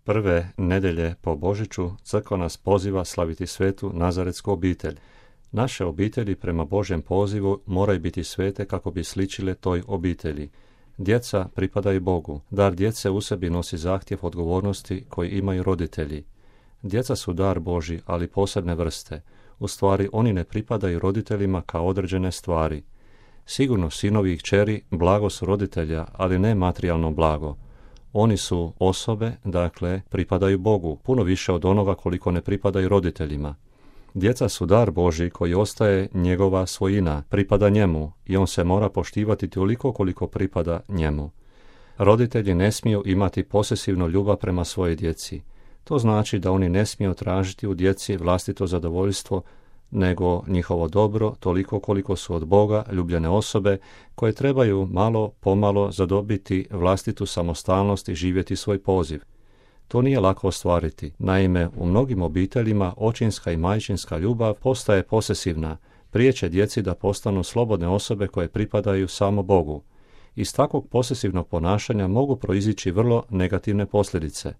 Prve nedelje po Božiću crkva nas poziva slaviti svetu nazaretsku obitelj. Naše obitelji prema Božjem pozivu moraju biti svete kako bi sličile toj obitelji. Djeca pripadaju Bogu. Dar djece u sebi nosi zahtjev odgovornosti koji imaju roditelji. Djeca su dar Božji, ali posebne vrste. U stvari, oni ne pripadaju roditeljima kao određene stvari. Sigurno sinovi i kćeri blago su roditelja, ali ne materijalno blago. Oni su osobe, dakle, pripadaju Bogu, puno više od onoga koliko ne pripadaju roditeljima. Djeca su dar Božji koji ostaje njegova svojina, pripada njemu i on se mora poštivati toliko koliko pripada njemu. Roditelji ne smiju imati posesivnu ljubav prema svojoj djeci. To znači da oni ne smiju tražiti u djeci vlastito zadovoljstvo, nego njihovo dobro toliko koliko su od Boga ljubljene osobe koje trebaju malo pomalo zadobiti vlastitu samostalnost i živjeti svoj poziv. To nije lako ostvariti. Naime, u mnogim obiteljima očinska i majčinska ljubav postaje posesivna, priječe djeci da postanu slobodne osobe koje pripadaju samo Bogu. Iz takvog posesivnog ponašanja mogu proizići vrlo negativne posljedice.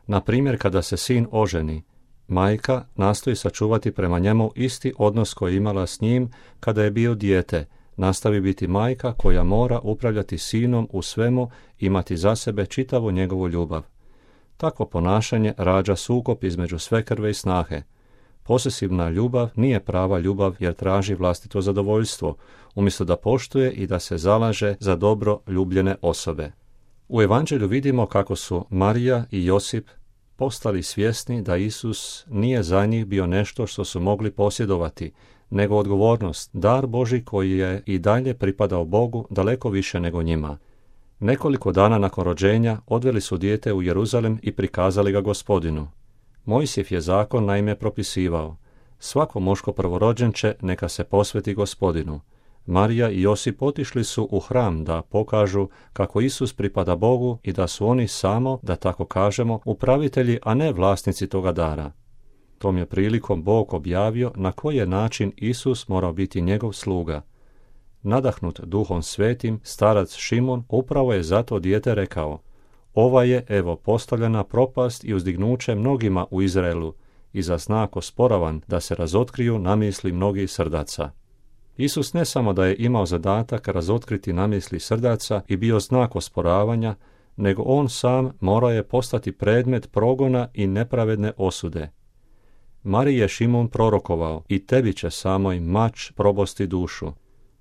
Na primjer, kada se sin oženi, majka nastoji sačuvati prema njemu isti odnos koji je imala s njim kada je bio dijete, nastavi biti majka koja mora upravljati sinom u svemu, imati za sebe čitavu njegovu ljubav. Takvo ponašanje rađa sukob između svekrve i snahe. Posesivna ljubav nije prava ljubav jer traži vlastito zadovoljstvo, umjesto da poštuje i da se zalaže za dobro ljubljene osobe. U Evanđelju vidimo kako su Marija i Josip postali svjesni da Isus nije za njih bio nešto što su mogli posjedovati, nego odgovornost, dar Božji koji je i dalje pripadao Bogu daleko više nego njima. Nekoliko dana nakon rođenja odveli su dijete u Jeruzalem i prikazali ga Gospodinu. Mojsijev je zakon naime propisivao: svako muško prvorođenče neka se posveti Gospodinu. Marija i Josip otišli su u hram da pokažu kako Isus pripada Bogu i da su oni samo, da tako kažemo, upravitelji, a ne vlasnici toga dara. Tom je prilikom Bog objavio na koji je način Isus morao biti njegov sluga. Nadahnut Duhom Svetim, starac Šimon upravo je zato dijete rekao: ova je, evo, postavljena propast i uzdignuće mnogima u Izraelu i za znak osporavan da se razotkriju namisli mnogih srdaca. Isus ne samo da je imao zadatak razotkriti namisli srdaca i bio znak osporavanja, nego on sam morao je postati predmet progona i nepravedne osude. Mariji je Šimon prorokovao: i tebi će samoj mač probosti dušu.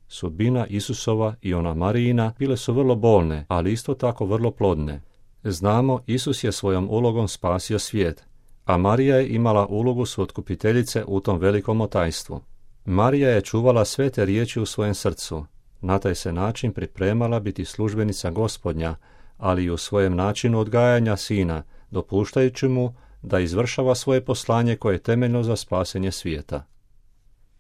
Sudbina Isusova i ona Marijina bile su vrlo bolne, ali isto tako vrlo plodne. Znamo, Isus je svojom ulogom spasio svijet, a Marija je imala ulogu suotkupiteljice u tom velikom otajstvu. Marija je čuvala sve te riječi u svojem srcu. Na taj se način pripremala biti službenica Gospodnja, ali i u svojem načinu odgajanja sina, dopuštajući mu da izvršava svoje poslanje koje je temeljno za spasenje svijeta.